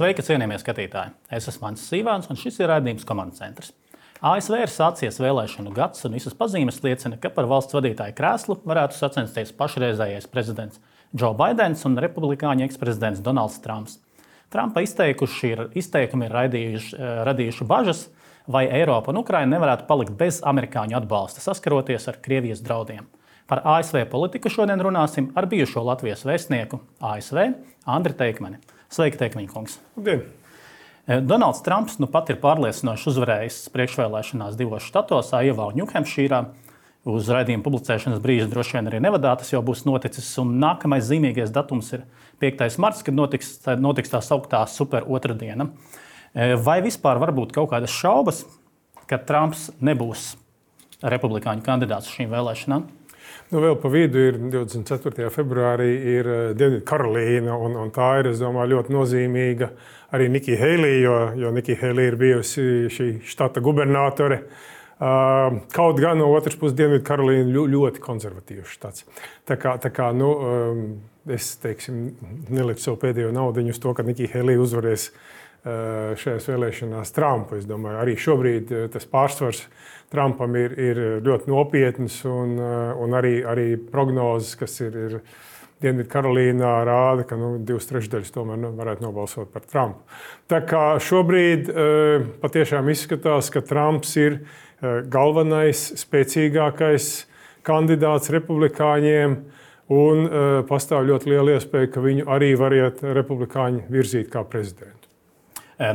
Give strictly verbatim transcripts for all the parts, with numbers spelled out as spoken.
Sveiki, cienījamie skatītāji! Es esmu Mans Sīvāns, un šis ir raidījums Komandas centrs. A S V ir sācies vēlēšanu gads, un visas pazīmes liecina, ka par valsts vadītāju krēslu varētu sacensties pašreizējais prezidents Džo Baidens un republikāņu eksprezidents Donalds Trumps. Trumpa izteikuši ir, izteikumi ir radījuši, radījuši bažas, vai Eiropa un Ukraina nevarētu palikt bez amerikāņu atbalsta, saskaroties ar Krievijas draudiem. Par A S V politiku šodien runāsim ar bijušo Latvijas vēstnieku A S V Andri Teikmani. Sveiki, Teikmaņa kungs! Labdien! Donalds Trumps nu pat ir pārliecinoši uzvarējis priekšvēlēšanās divos štatos, Aiovā un Ņūhempšīrā. Uz raidījuma publicēšanas brīža droši vien arī Nevadā tas jau būs noticis. Un nākamais zīmīgais datums ir piektais marts, kad notiks, notiks tā sauktā super otrdiena. Vai vispār var būt kaut kādas šaubas, ka Trumps nebūs republikāņu kandidāts šīm vēlēšanām? Nu, vēl pa vidu ir divdesmit ceturtajā februārī ir Dienvidkarolīna, un, un tā ir, es domāju, ļoti nozīmīga arī Nikija Heilija, jo, jo Nikija Heilija ir bijusi šī štata gubernatore. Uh, kaut gan no otras puses Dienvidkarolīna ļoti konservatīvs štats. Tā kā, tā kā nu, um, es, teiksim, neliku savu pēdējo naudiņu uz to, ka Nikija Heilija uzvarēs uh, šajās vēlēšanās Trumpu. Es domāju, arī šobrīd uh, tas pārsvars Trumpam ir, ir ļoti nopietns, un, un arī, arī prognozes, kas ir, ir Dienvidkarolīnā, rāda, ka nu, divas trešdaļas tomēr nu, varētu nobalsot par Trumpu. Tā kā šobrīd uh, patiešām izskatās, ka Trumps ir uh, galvenais, spēcīgākais kandidāts republikāņiem, un uh, pastāv ļoti liela iespēja, ka viņu arī variet republikāņi virzīt kā prezidentu.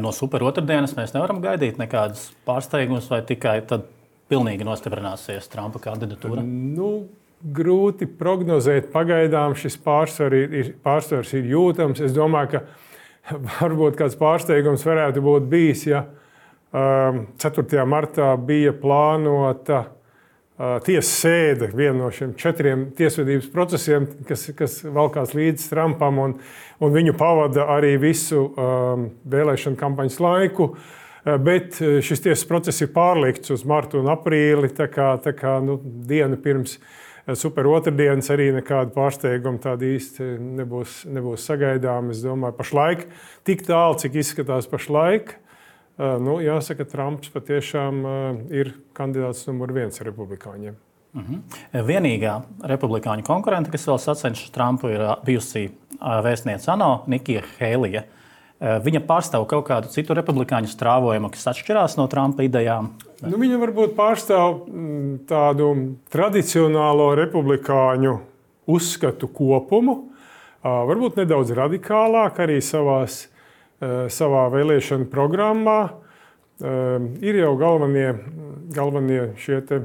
No super otrdienas mēs nevaram gaidīt nekādas pārsteigumus, vai tikai tad pilnīgi nostiprināsies Trumpa kandidatūra? Nu, grūti prognozēt. Pagaidām šis pārsvars ir, pārsvars ir jūtams. Es domāju, ka varbūt kāds pārsteigums varētu būt bijis, ja um, ceturtajā martā bija plānota uh, tiesas sēde, viena no šiem četriem tiesvedības procesiem, kas, kas valkās līdz Trumpam, un, un viņu pavada arī visu um, vēlēšanu kampaņas laiku. Bet šis tiesas process ir pārlikts uz martu un aprīli, tā kā, tā kā nu, dienu pirms super otrdienas arī nekāda pārsteiguma tāda īsti nebūs, nebūs sagaidām. Es domāju, pašlaik tik tālu, cik izskatās pašlaik, nu, jāsaka, Trumps patiešām ir kandidāts numur viens republikāņiem. Mhm. Vienīgā republikāņu konkurente, kas vēl sacenšas Trumpu, ir bijusi vēstniece ANO Nikija Heilija. Viņa pārstāv kaut kādu citu republikāņu strāvojumu, kas atšķirās no Trumpa idejām? Nu, viņa varbūt pārstāv tādu tradicionālo republikāņu uzskatu kopumu, varbūt nedaudz radikālāk arī savās, savā vēlēšanu programmā. Ir jau galvenie, galvenie šie te,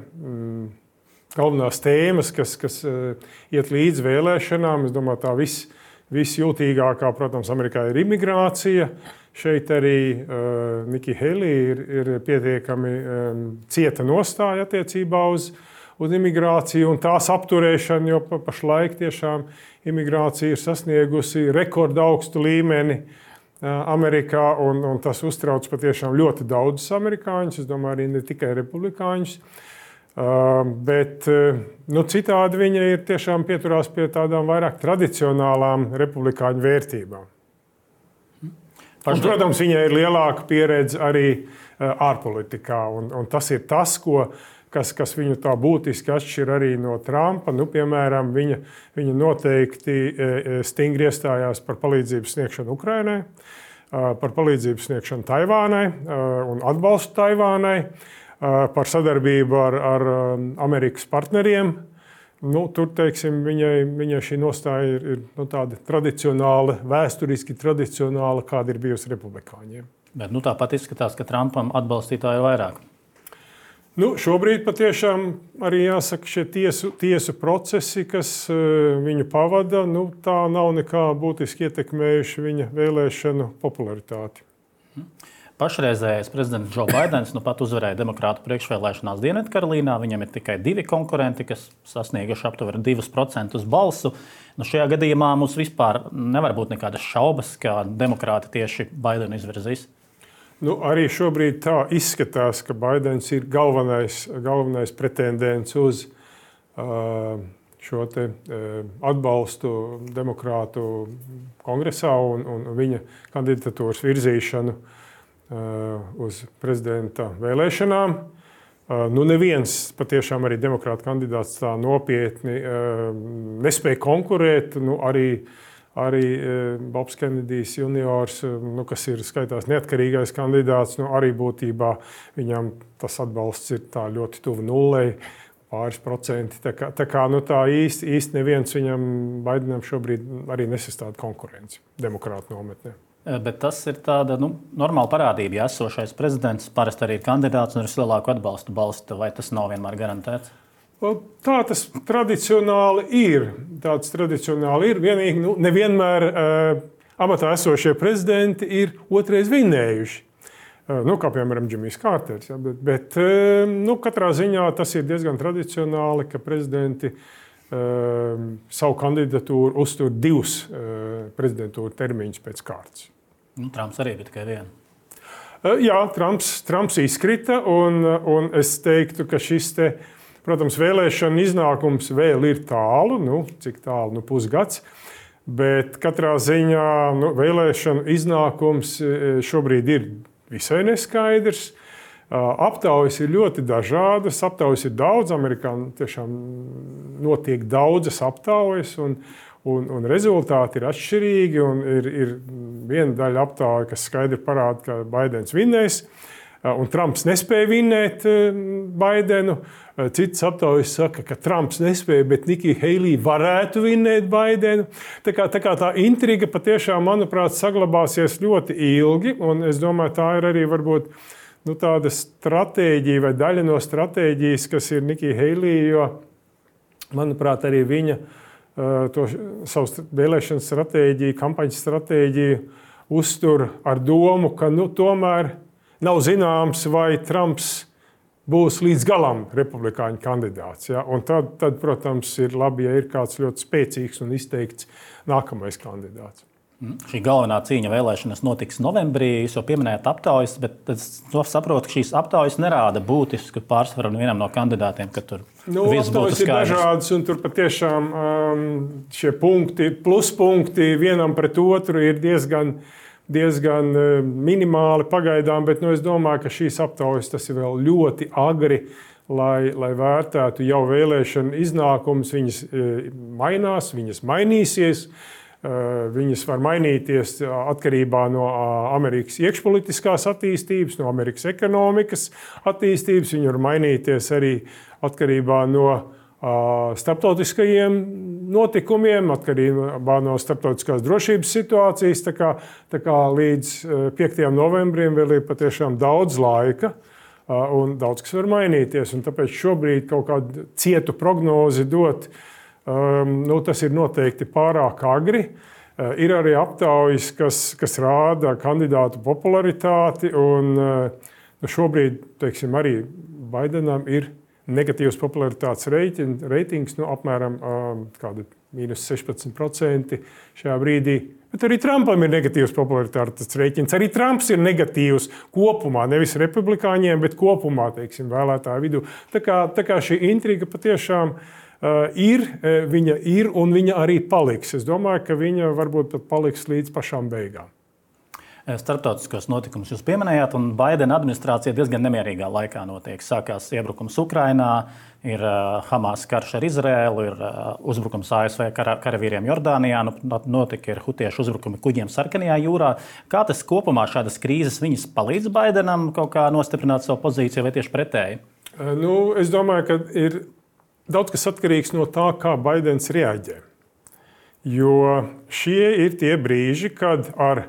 galvenās tēmas, kas, kas iet līdz vēlēšanām. Es domāju, tā viss Visjūtīgākā, protams, Amerikā ir imigrācija. Šeit arī uh, Nikija Heilija ir, ir pietiekami um, cieta nostāja attiecībā uz, uz imigrāciju un tās apturēšanu, jo pa, pašlaik tiešām imigrācija ir sasniegusi rekordaugstu līmeni uh, Amerikā, un, un tas uztrauc patiešām ļoti daudzus amerikāņus, es domāju, arī ne tikai republikāņus. Uh, bet uh, nu, citādi viņa ir tiešām pieturās pie tādām vairāk tradicionālām republikāņu vērtībām. Un, protams, viņai ir lielāka pieredze arī uh, ārpolitikā, un, un tas ir tas, ko, kas, kas viņu tā būtiski atšķir arī no Trumpa. Nu, piemēram, viņa, viņa noteikti uh, stingri iestājās par palīdzību sniegšanu Ukrainai, uh, par palīdzību sniegšanu Taivānai uh, un atbalstu Taivānai, par sadarbību ar, ar Amerikas partneriem. Nu, tur, teiksim, viņai, viņai šī nostāja ir, ir nu, tāda tradicionāla, vēsturiski tradicionāla, kāda ir bijusi republikāņiem. Bet nu, tāpat izskatās, ka Trumpam atbalstītāji ir vairāk. Nu, šobrīd patiešām arī jāsaka, šie tiesu, tiesu procesi, kas uh, viņu pavada, nu, tā nav nekā būtiski ietekmējuši viņa vēlēšanu popularitāti. Hmm. Pašreizējais prezidents Džo Baidens nu pat uzvarēja demokrātu priekšvēlēšanās Dienvidkarolīnā. Viņam ir tikai divi konkurenti, kas sasnieguši aptuveni divus procentus balsu. Nu, šajā gadījumā mums vispār nevar būt nekādas šaubas, ka demokrāti tieši Baidenu izvirzīs. Nu, arī šobrīd tā izskatās, ka Baidens ir galvenais, galvenais pretendents uz uh, šo te, atbalstu demokrātu kongresā un, un viņa kandidatūras virzīšanu uz prezidenta vēlēšanām. Nu, neviens patiešām arī demokrāta kandidāts tā nopietni nespēja konkurēt. Nu, arī Arī Bobs Kenedijs juniors, nu, kas ir skaitās neatkarīgais kandidāts, nu, arī būtībā viņam tas atbalsts ir tā ļoti tuvu nullei, pāris procenti. Tā kā, tā kā nu, tā īsti, īsti neviens viņam Baidenam šobrīd arī nesastāda konkurenci demokrātu nometnē. Bet tas ir tāda nu, normāla parādība. Ja esošais prezidents parasti arī ir kandidāts un ar vislabāko atbalstu balsta, vai tas nav vienmēr garantēts? Tā tas tradicionāli ir. Tāds tradicionāli ir. Vienīgi nu, nevienmēr uh, amatā esošie prezidenti ir otrais vinnējuši. Uh, nu, kā piemēram Džimijs Kārters. Ja, bet bet uh, nu, katrā ziņā tas ir diezgan tradicionāli, ka prezidenti uh, savu kandidatūru uztur divus uh, prezidentūru termiņus pēc kārtas. Nu, Trumps arī bija tikai viena. Uh, jā, Trumps, Trumps izkrita un, un es teiktu, ka šis te protams, vēlēšana iznākums vēl ir tālu, nu, cik tālu, nu, pusgads, bet katrā ziņā nu, vēlēšana iznākums šobrīd ir visai neskaidrs. Aptaujas ir ļoti dažādas, aptaujas ir daudz, Amerikā tiešām notiek daudzas aptaujas, un, un, un rezultāti ir atšķirīgi, un ir, ir viena daļa aptauja, kas skaidri parāda, ka Baidens vinnēs, un Trumps nespēja vinnēt Baidenu. Citas aptaujas saka, ka Trumps nespēja, bet Nikija Heilija varētu vinnēt Baidenu. Tā kā, tā kā tā intriga patiešām, manuprāt, saglabāsies ļoti ilgi, un es domāju, tā ir arī varbūt nu, tāda stratēģija vai daļa no stratēģijas, kas ir Nikija Heilija, jo, manuprāt, arī viņa to savu vēlēšanu stratēģiju, kampaņas stratēģiju uztur ar domu, ka nu, tomēr nav zināms, vai Trumps būs līdz galam republikāņu kandidāts. Ja? Un tad, tad, protams, ir labi, ja ir kāds ļoti spēcīgs un izteikts nākamais kandidāts. Šī galvenā cīņa vēlēšanas notiks novembrī. Jūs jau pieminējāt aptaujas, bet es saprotu, ka šīs aptaujas nerāda būtisku pārsvaru vienam no kandidātiem, ka tur nu, viss būtu skaidrs. Ir dažādas, un tur patiešām um, šie punkti, pluspunkti vienam pret otru ir diezgan diezgan minimāli pagaidām, bet nu, es domāju, ka šīs aptaujas tas ir vēl ļoti agri, lai, lai vērtētu jau vēlēšanu iznākumus. Viņas mainās, viņas mainīsies, viņas var mainīties atkarībā no Amerikas iekšpolitiskās attīstības, no Amerikas ekonomikas attīstības, viņi var mainīties arī atkarībā no starptautiskajiem notikumiem, atkarībā no starptautiskās drošības situācijas. Tā kā, tā kā līdz piektajam novembrim vēl ir patiešām daudz laika un daudz kas var mainīties. Un tāpēc šobrīd kaut kādu cietu prognozi dot, nu, tas ir noteikti pārāk agri. Ir arī aptaujas, kas, kas rāda kandidātu popularitāti. Un, nu, šobrīd, teiksim, arī Baidenam ir negatīvs popularitātes reitings, nu, apmēram kāda mīnus sešpadsmit procenti šajā brīdī. Bet arī Trumpam ir negatīvs popularitātes reitings. Arī Trumps ir negatīvs kopumā, nevis republikāņiem, bet kopumā, teiksim, vēlētāju vidū. Tā kā, tā kā šī intriga patiešām uh, ir, viņa ir un viņa arī paliks. Es domāju, ka viņa varbūt pat paliks līdz pašām beigām. Starptautiskos notikumus jūs pieminējāt, un Baidena administrācija diezgan nemierīgā laikā notiek. Sākās iebrukums Ukrainā, ir Hamas karš ar Izraēlu, ir uzbrukums A S V karavīriem Jordānijā, notika ir hutiešu uzbrukumi kuģiem Sarkanajā jūrā. Kā tas kopumā šādas krīzes viņas palīdz Baidenam kaut kā nostiprināt savu pozīciju vai tieši pretēji? Nu, es domāju, ka ir daudz kas atkarīgs no tā, kā Baidens reaģē. Jo šie ir tie brīži, kad ar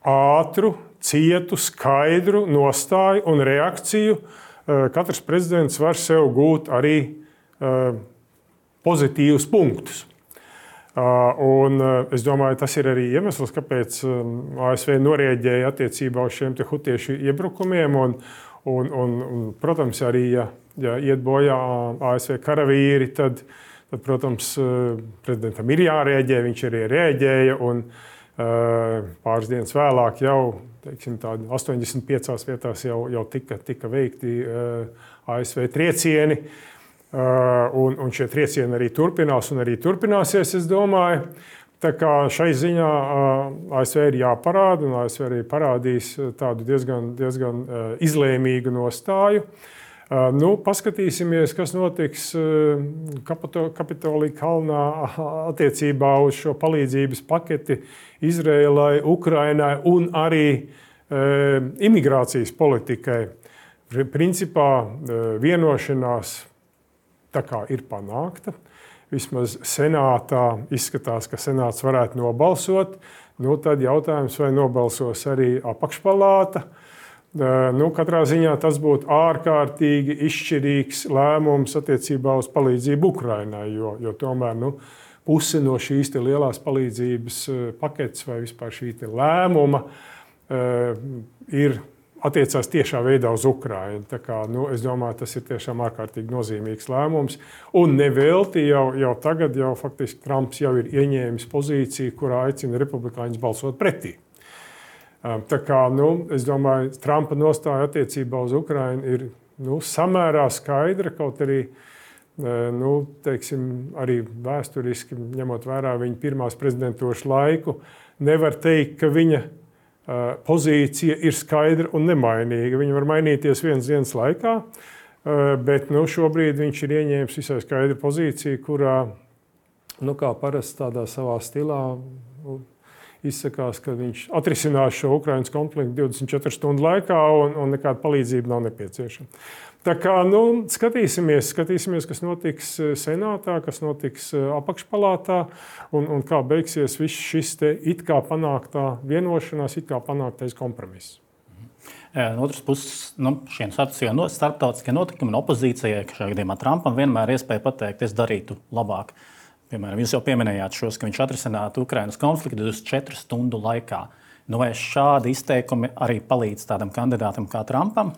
ātru, cietu, skaidru nostāju un reakciju katrs prezidents var sev gūt arī pozitīvus punktus. Un es domāju, tas ir arī iemesls, kāpēc A S V norēģēja attiecībā uz šiem te hutiešu iebrukumiem. Un, un, un, un, protams, arī, ja, ja iet bojā A S V karavīri, tad, tad, protams, prezidentam ir jārēģē, viņš arī rēģēja. Un, pāris dienas vēlāk jau teiksim, astoņdesmit piecās vietās jau, jau tika, tika veikti A S V triecieni. Un, un šie triecieni arī turpinās un arī turpināsies, es domāju. Tā kā šai ziņā A S V ir jāparāda, un A S V arī parādīs tādu diezgan, diezgan izlēmīgu nostāju. Nu, paskatīsimies, kas notiks Kapitolija kalnā attiecībā uz šo palīdzības paketi Izrēlai, Ukrainai un arī imigrācijas politikai. Principā vienošanās tā kā ir panākta. Vismaz senātā izskatās, ka senāts varētu nobalsot. Nu, tad jautājums, vai nobalsos arī apakšpalāta. Nu, katrā ziņā tas būtu ārkārtīgi izšķirīgs lēmums attiecībā uz palīdzību Ukrainai, jo, jo tomēr nu, puse no šīs lielās palīdzības paketes vai vispār šī lēmuma ir attiecās tiešā veidā uz Ukrainu. Tā kā, nu, es domāju, tas ir tiešām ārkārtīgi nozīmīgs lēmums. Un nevelti jau, jau tagad, jau faktiski Trumps jau ir ieņēmis pozīciju, kurā aicina republikāņus balsot pretī. Tā kā, nu, es domāju, Trumpa nostāja attiecībā uz Ukrainu ir nu, samērā skaidra, kaut arī nu, teiksim, arī vēsturiski, ņemot vērā viņa pirmās prezidentūras laiku, nevar teikt, ka viņa pozīcija ir skaidra un nemainīga. Viņa var mainīties vienas dienas laikā, bet nu, šobrīd viņš ir ieņēmis visai skaidru pozīciju, kurā, nu, kā parasti tādā savā stilā, izsakās, ka viņš atrisinās šo Ukrainas konfliktu divdesmit četru stundu laikā un, un nekāda palīdzība nav nepieciešama. Tā kā, nu, skatīsimies, skatīsimies, kas notiks senātā, kas notiks apakšpalātā un, un kā beigsies viss šis te it kā panāktā vienošanās, it kā panāktais kompromiss. No otras puses, nu, šiem starptautiskie notikumi un opozīcijai, ka šajā gadījumā Trumpam vienmēr iespēja pateikt, es darītu labāk. Piemēram, jūs jau pieminējāt šos, ka viņš atrisinātu Ukrainas konfliktu divdesmit četru stundu laikā. Nu, vai šādi izteikumi arī palīdz tādam kandidātam kā Trumpam?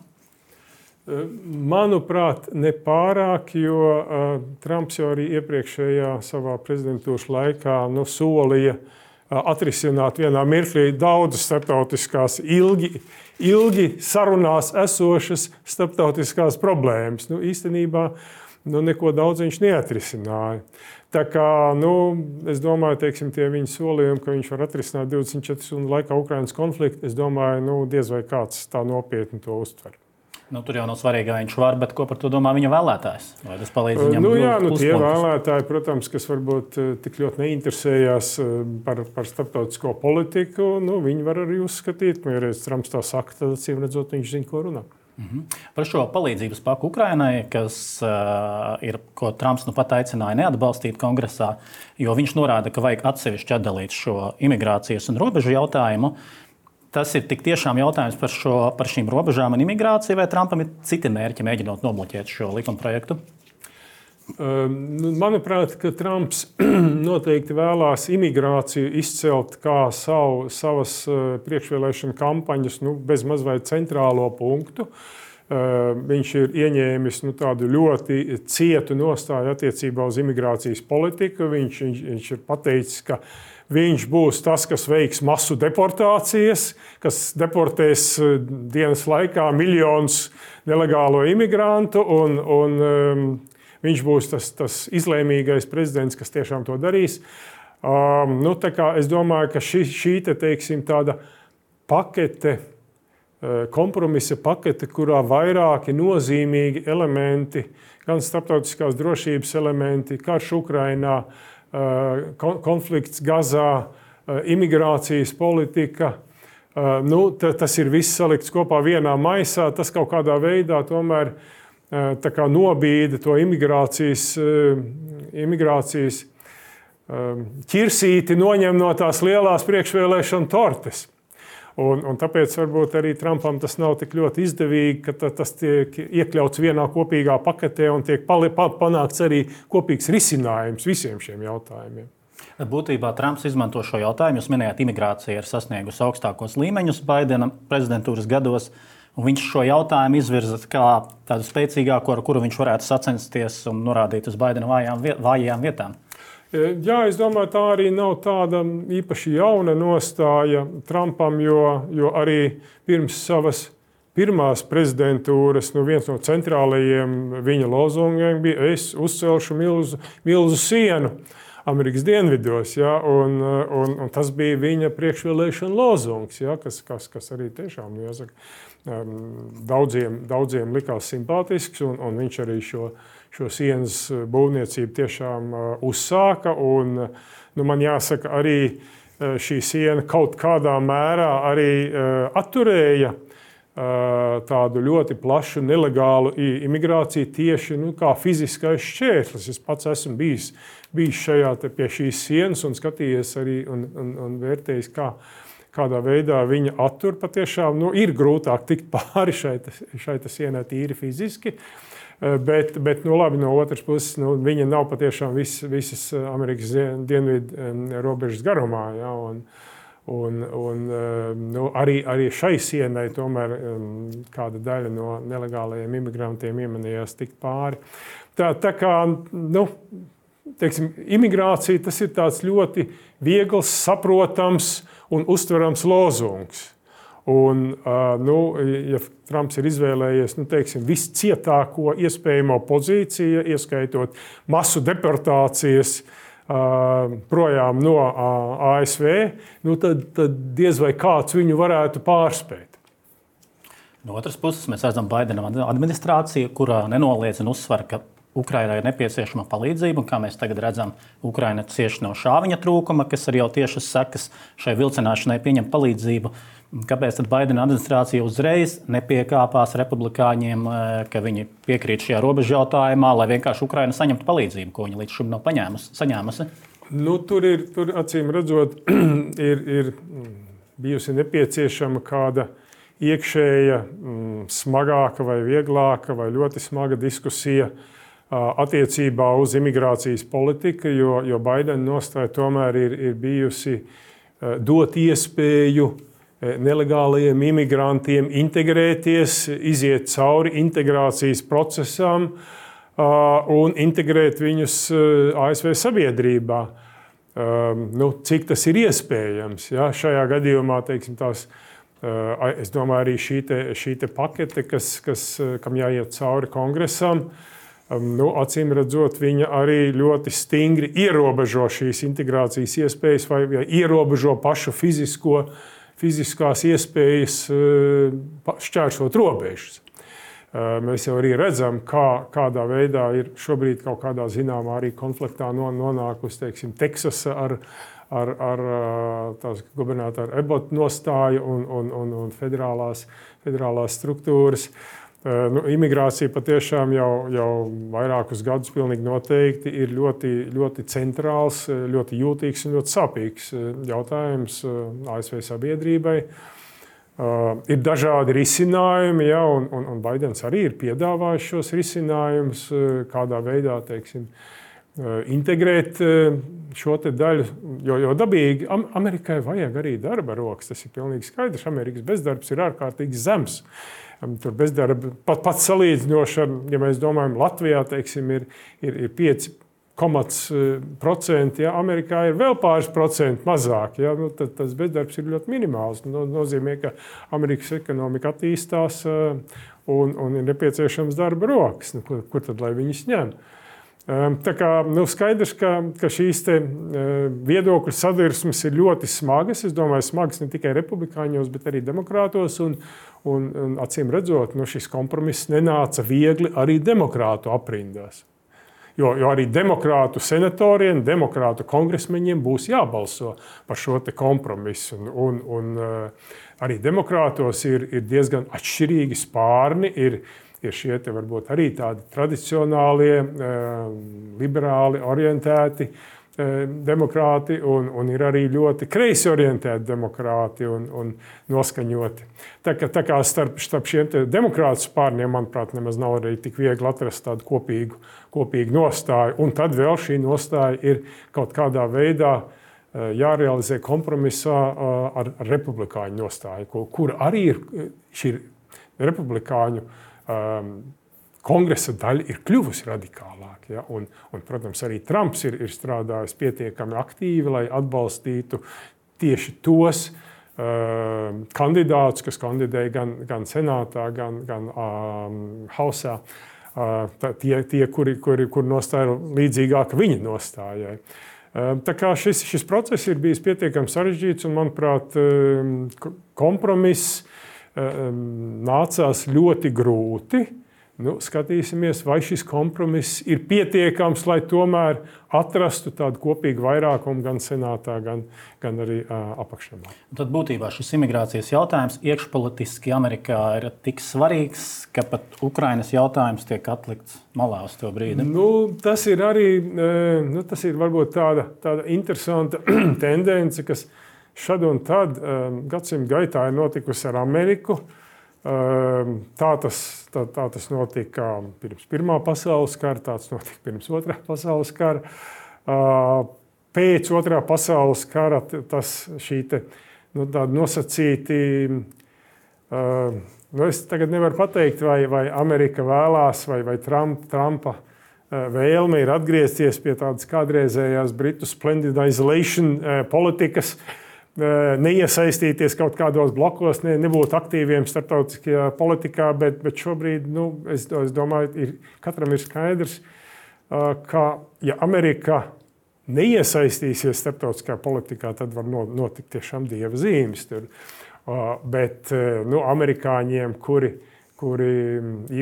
Manuprāt, nepārāk, jo uh, Trumps jau arī iepriekšējā savā prezidentūras laikā nu, solīja uh, atrisināt vienā mirklī daudzas starptautiskās ilgi, ilgi sarunās esošas starptautiskās problēmas. Nu, īstenībā nu, neko daudz viņš neatrisināja. Tā kā, nu, es domāju, teiksim, tie viņa solījumi, ka viņš var atrisināt divdesmit četru stundu laikā Ukrainas konfliktu, es domāju, nu, diez vai kāds tā nopietni to uztver. Nu, tur jau nav svarīgi, vai viņš var, bet ko par to domā viņa vēlētājs? Vai tas palīdz viņam? Nu, jā, nu, tie vēlētāji, protams, kas varbūt tik ļoti neinteresējās par, par starptautisko politiku, nu, viņi var arī uzskatīt, ka, ja reiz Trumps tā saka, tad acīm redzot, viņš zina, ko runā. Mhm. Par šo palīdzības paku Ukrainai, kas uh, ir, ko Trumps nu pat aicināja neatbalstīt kongresā, jo viņš norāda, ka vajag atsevišķi atdalīt šo imigrācijas un robežu jautājumu. Tas ir tik tiešām jautājums par, šo, par šīm robežām un imigrāciju, vai Trumpam ir citi mērķi mēģinot nobloķēt šo likumprojektu? Manuprāt, ka Trumps noteikti vēlās imigrāciju izcelt kā savu, savas priekšvēlēšana kampaņas nu, bez maz vai centrālo punktu. Viņš ir ieņēmis nu, tādu ļoti cietu nostāju attiecībā uz imigrācijas politiku. Viņš, viņš, viņš ir pateicis, ka viņš būs tas, kas veiks masu deportācijas, kas deportēs dienas laikā miljonus nelegālo imigrantu, un, un um, viņš būs tas, tas izlēmīgais prezidents, kas tiešām to darīs. Um, nu, tā kā es domāju, ka šī, šī te, teiksim, tāda pakete, kompromisa pakete, kurā vairāki nozīmīgi elementi, gan starptautiskās drošības elementi, karš Ukrainā, konflikts Gazā, imigrācijas politika. Nu, tas ir viss salikts kopā vienā maisā. Tas kaut kādā veidā tomēr tā kā nobīda to imigrācijas, imigrācijas ķirsīti, noņem no tās lielās priekšvēlēšana tortes. Un, un tāpēc varbūt arī Trumpam tas nav tik ļoti izdevīgi, ka tas tiek iekļauts vienā kopīgā paketē un tiek panākts arī kopīgs risinājums visiem šiem jautājumiem. Būtībā Trumps izmanto šo jautājumu. Jūs minējāt, imigrācija ir sasniegusi augstākos līmeņus Baidena prezidentūras gados, un viņš šo jautājumu izvirza kā tādu spēcīgāko, ar kuru viņš varētu sacensties un norādīt uz Baidena vājām, vājām vietām. Jā, es domāju, tā arī nav tāda īpaši jauna nostāja Trumpam, jo, jo arī pirms savas pirmās prezidentūras nu, viens no centrālajiem viņa lozungiem bija: es uzcelšu milzu, milzu sienu Amerikas dienvidos. Ja, un, un, un tas bija viņa priekšvēlēšana lozungs, ja, kas, kas, kas arī tiešām nu, jāsaka, daudziem, daudziem likās simpātisks, un, un viņš arī šo, šo sienas būvniecību tiešām uzsāka. Un, nu, man jāsaka, arī šī siena kaut kādā mērā arī atturēja tādu ļoti plašu nelegālu imigrāciju tieši nu, kā fiziskais šķērslis. Es pats esmu bijis, bijis šajā, pie šīs sienas un skatījies arī un, un, un vērtējis, kā kādā veidā viņa attur. Patiešām nu, ir grūtāk tikt pāri šai, šai sienai tīri fiziski, bet, bet nu, labi, no otras puses nu, viņa nav patiešām vis, visas Amerikas dienvidu robežas garumā. Ja, un, un, un, nu, arī, arī šai sienai tomēr kāda daļa no nelegālajiem imigrantiem iemanījās tikt pāri. Tā, tā kā, nu, teiksim, imigrācija tas ir tāds ļoti viegls, saprotams un uztverams lozungs. Un, nu, ja Trumps ir izvēlējies nu, teiksim, viscietāko iespējamo pozīciju, ieskaitot masu deportācijas projām no A S V, nu, tad, tad diez vai kāds viņu varētu pārspēt. No otras puses, mēs redzam Baidena administrāciju, kurā nenoliedz un uzsver, ka Ukrainai ir nepieciešama palīdzība, un kā mēs tagad redzam, Ukraina cieši no šāviņa trūkuma, kas ir jau tiešas sekas šai vilcināšanai pieņemt palīdzību. Kāpēc tad Baidena administrācija uzreiz nepiekāpās republikāņiem, ka viņi piekrīt šajā robežu jautājumā, lai vienkārši Ukraina saņemtu palīdzību, ko viņi līdz šim nav paņēmusi, saņēmusi? Nu, tur ir, tur acīm redzot, ir, ir bijusi nepieciešama kāda iekšēja, smagāka vai vieglāka vai ļoti smaga diskusija attiecībā uz imigrācijas politiku, jo, jo Baidena nostāja tomēr ir, ir bijusi dot iespēju nelegālajiem imigrantiem integrēties, iziet cauri integrācijas procesam un integrēt viņus A S V sabiedrībā. Nu, cik tas ir iespējams? Ja? Šajā gadījumā, teiksim, tās, es domāju, arī šī, te, šī te pakete, kas, kas, kam jāiet cauri kongresam, nu, acīm redzot, viņa arī ļoti stingri ierobežo šīs integrācijas iespējas vai, vai ierobežo pašu fizisko, fiziskās iespējas šķērsot robežas. Mēs jau arī redzam, kā, kādā veidā ir šobrīd kaut kādā zināmā arī konfliktā nonākusi, teiksim, Teksasa ar, ar, ar tās gubernatora Abbott nostāju un, un, un, un federālās, federālās struktūras. Nu, imigrācija patiešām jau, jau vairākus gadus pilnīgi noteikti ir ļoti, ļoti centrāls, ļoti jūtīgs un ļoti sāpīgs jautājums A S V sabiedrībai. Uh, ir dažādi risinājumi, ja, un, un, un Baidens arī ir piedāvājis šos risinājumus, kādā veidā, teiksim, integrēt šo te daļu, jo, jo dabīgi Amerikai vajag arī darba rokas. Tas ir pilnīgi skaidrs. Amerikas bezdarbs ir ārkārtīgi zems. Tur bezdarba pat, pat salīdzinoši ar, ja mēs domājam, Latvijā, teiksim, ir, ir, ir pieci procenti, ja Amerikā ir vēl pāris procenti mazāk, ja, nu, tad tas bezdarbs ir ļoti minimāls. No, nozīmē, ka Amerikas ekonomika attīstās un, un ir nepieciešams darba rokas. Nu, kur, kur tad lai viņas ņem? Tā kā nu, skaidrs, ka, ka šīs te viedokļu sadursmes ir ļoti smagas. Es domāju, smagas ne tikai republikāņos, bet arī demokrātos. Un, un, un acīm redzot, nu, šis kompromiss nenāca viegli arī demokrātu aprindās. Jo, jo arī demokrātu senatoriem, demokrātu kongresmeņiem būs jābalso par šo te kompromisu. Un, un, un arī demokrātos ir, ir diezgan atšķirīgi spārni. Ir, ir šie te varbūt arī tādi tradicionālie, liberāli orientēti demokrāti un, un ir arī ļoti kreisi orientēti demokrāti un, un noskaņoti. Tā kā, tā kā starp, starp šiem te demokrātu spārniem, manuprāt, nemaz nav arī tik viegli atrast tādu kopīgu, kopīgu nostāju. Un tad vēl šī nostāja ir kaut kādā veidā jārealizē kompromisā ar, ar republikāņu nostāju, kur arī ir šī republikāņu kongresa daļa ir kļuvusi radikālāka. Ja? Un, un, protams, arī Trumps ir, ir strādājis pietiekami aktīvi, lai atbalstītu tieši tos kandidātus, kas kandidēja gan, gan senātā, gan, gan um, hausā. Uh, tie, tie, kuri, kuri, kuri nostāja līdzīgāka viņa nostājai. Uh, tā kā šis, šis process ir bijis pietiekami sarežģīts un, manuprāt, um, kompromiss um, nācās ļoti grūti. Nu, skatīsimies, vai šis kompromiss ir pietiekams, lai tomēr atrastu tādu kopīgu vairākumu gan senātā, gan, gan arī uh, apakšnamā. Tad būtībā šis imigrācijas jautājums iekšpolitiski Amerikā ir tik svarīgs, ka pat Ukrainas jautājums tiek atlikts malā uz to brīdi. Nu, tas ir arī nu, tas ir varbūt tāda, tāda interesanta tendence, kas šad un tad um, gadsimta gaitā ir notikusi ar Ameriku. Tā tas, tā, tā tas notika pirms Pirmā pasaules kara, tāds notika pirms Otrā pasaules kara. Pēc Otrā pasaules kara tas šī te, nu, tāda nosacīti, nu, es tagad nevaru pateikt, vai, vai Amerika vēlās, vai, vai Trump, Trumpa vēlme ir atgriezties pie tādas kādreizējās Britu splendidization politikas, neiesaistīties kaut kādos blokos, ne, nebūt aktīviem starptautiskajā politikā, bet, bet šobrīd, nu, es, es domāju, ir, katram ir skaidrs, ka, ja Amerika neiesaistīsies starptautiskajā politikā, tad var notikt tiešām dieva zīmes tur. Bet, nu, amerikāņiem, kuri, kuri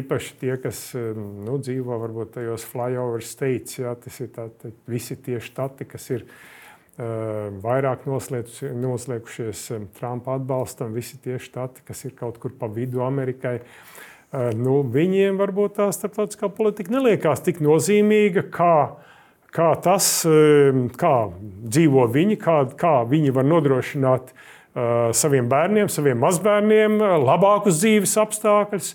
īpaši tie, kas, nu, dzīvo varbūt tajos flyover states, jā, tas ir tā, tā, visi tie štati, kas ir vairāk noslēgušies Trumpa atbalstam, visi tie štati, kas ir kaut kur pa vidu Amerikai, nu, viņiem varbūt tā starptautiskā politika neliekās tik nozīmīga, kā, kā tas, kā dzīvo viņi, kā, kā viņi var nodrošināt saviem bērniem, saviem mazbērniem labākus dzīves apstākļus.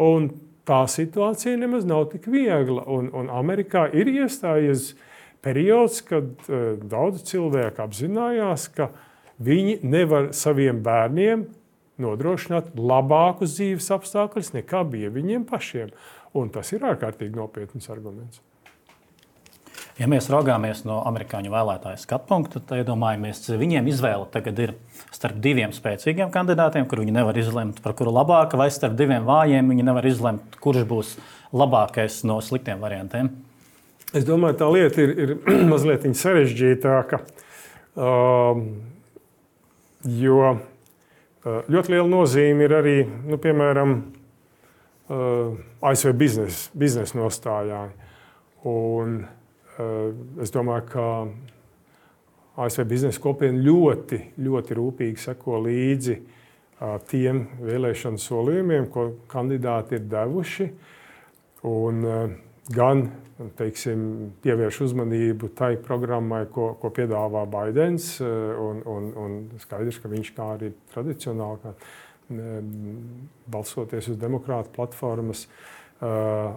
Un tā situācija nemaz nav tik viegla. Un, un Amerikā ir iestājies periods, kad uh, daudz cilvēku apzinājās, ka viņi nevar saviem bērniem nodrošināt labākus dzīves apstākļus, nekā bija viņiem pašiem. Un tas ir ārkārtīgi nopietns arguments. Ja mēs raugāmies no amerikāņu vēlētāju skatu punkta, tad iedomājamies, viņiem izvēle tagad ir starp diviem spēcīgiem kandidātiem, kur viņi nevar izlemt, par kuru labāka, vai starp diviem vājiem viņi nevar izlemt, kurš būs labākais no sliktiem variantiem. Es domāju, tā lieta ir, ir mazliet sarežģītāka, um, jo ļoti liela nozīme ir arī, nu, piemēram, uh, A S V biznesa biznes nostājā. Un uh, es domāju, ka A S V biznesa kopiena ļoti, ļoti rūpīgi seko līdzi uh, tiem vēlēšanu solījumiem, ko kandidāti ir devuši. Un, uh, gan teiksim, pievērš uzmanību tai programmai, ko, ko piedāvā Baidens, un, un, un skaidrs, ka viņš kā arī tradicionāli, kā, balsoties uz demokrātu platformas,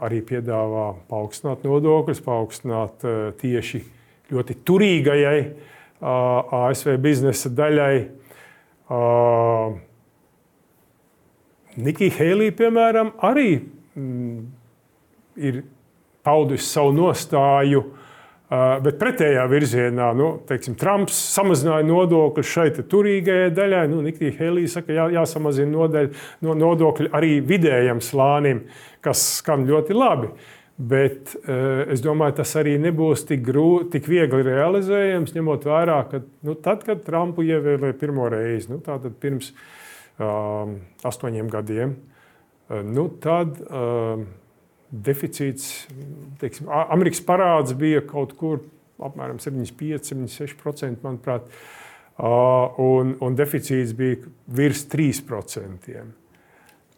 arī piedāvā paaugstināt nodokļus, paaugstināt tieši ļoti turīgajai A S V biznesa daļai. Nikija Heilī, piemēram, arī ir paudusi savu nostāju, bet pretējā virzienā. Nu, teiksim, Trumps samazināja nodokļus šai turīgajai daļai. Nu, Nikija Heilī saka, jā, jāsamazina nodeļ, no nodokļi arī vidējam slānim, kas skan ļoti labi. Bet es domāju, tas arī nebūs tik, grū, tik viegli realizējams, ņemot vērā, ka nu, tad, kad Trumpu ievēlēja pirmo reizi, nu, tātad pirms um, astoņiem gadiem, nu, tad um, deficīts, teiksim, Amerikas parāds bija kaut kur apmēram septiņdesmit pieci, septiņdesmit seši procenti, manuprāt, un, un deficīts bija virs trīs procentiem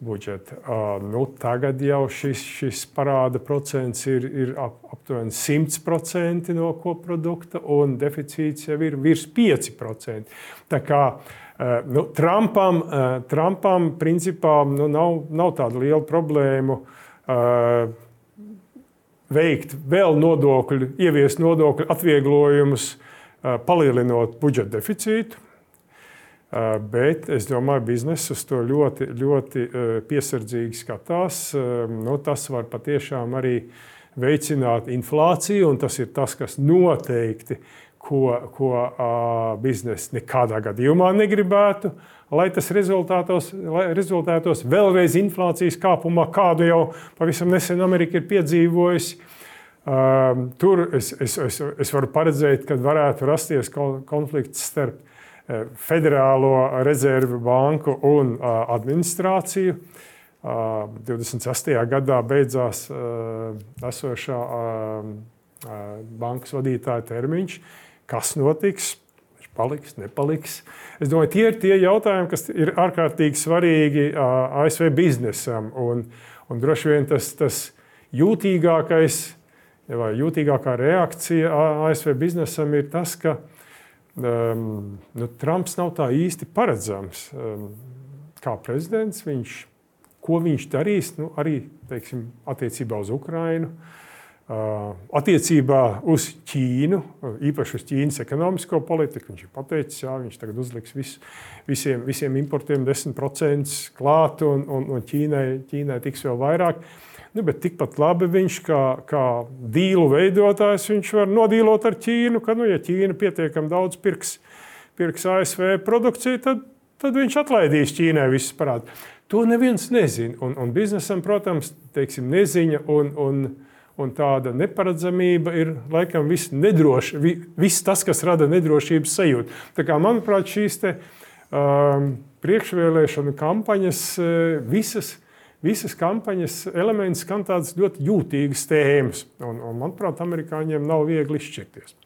budžeta. Nu, tagad jau šis, šis parāda procents ir, ir ap, aptuveni simt procenti no koprodukta, un deficīts jau ir virs pieci procenti. Tā kā nu, Trumpam, Trumpam principā nu, nav, nav tāda liela problēma Uh, veikt vēl nodokļu, ieviest nodokļu atvieglojumus, uh, palielinot budžeta deficītu. Uh, bet es domāju, bizness uz to ļoti, ļoti uh, piesardzīgi skatās. Uh, nu, tas var patiešām arī veicināt inflāciju, un tas ir tas, kas noteikti ko, ko uh, biznesa nekādā gadījumā negribētu, lai tas rezultātos, lai rezultātos vēlreiz inflācijas kāpumā, kādu jau pavisam nesen Amerika ir piedzīvojusi. Uh, tur es, es, es, es varu paredzēt, ka varētu rasties konflikts starp uh, Federālo rezervu banku un uh, administrāciju. Uh, divdesmit sestajā gadā beidzās uh, esošā uh, uh, bankas vadītāja termiņš. Kas notiks? Viņš paliks, nepaliks. Es domāju, tie ir tie jautājumi, kas ir ārkārtīgi svarīgi uh, A S V biznesam. Un, un droši vien tas, tas jūtīgākais, vai jūtīgākā reakcija A S V biznesam ir tas, ka um, nu, Trumps nav tā īsti paredzams. Um, kā prezidents viņš Ko viņš darīs, nu, arī teiksim, attiecībā uz Ukrainu, attiecībā uz Ķīnu, īpaši uz Ķīnas ekonomisko politiku. Viņš ir pateicis, jā, viņš tagad uzliks visu, visiem, visiem importiem desmit procenti klāt, un, un, un Ķīnai, Ķīnai tiks vēl vairāk. Nu, bet tikpat labi viņš kā, kā dīlu veidotājs, viņš var nodīlot ar Ķīnu, ka, nu, ja Ķīna pietiekami daudz pirks, pirks A S V produkciju, tad, tad viņš atlaidīs Ķīnai visus parādus. To neviens nezina. Un, un biznesam, protams, teiksim, neziņa un, un, un tāda neparedzamība ir laikam viss nedroši, viss tas, kas rada nedrošības sajūtu. Tā kā, manuprāt, šīs te, um, priekšvēlēšanu kampaņas, visas, visas kampaņas elements skan tādas ļoti jūtīgas tēmas. Un, un, manuprāt, amerikāņiem nav viegli izšķirties.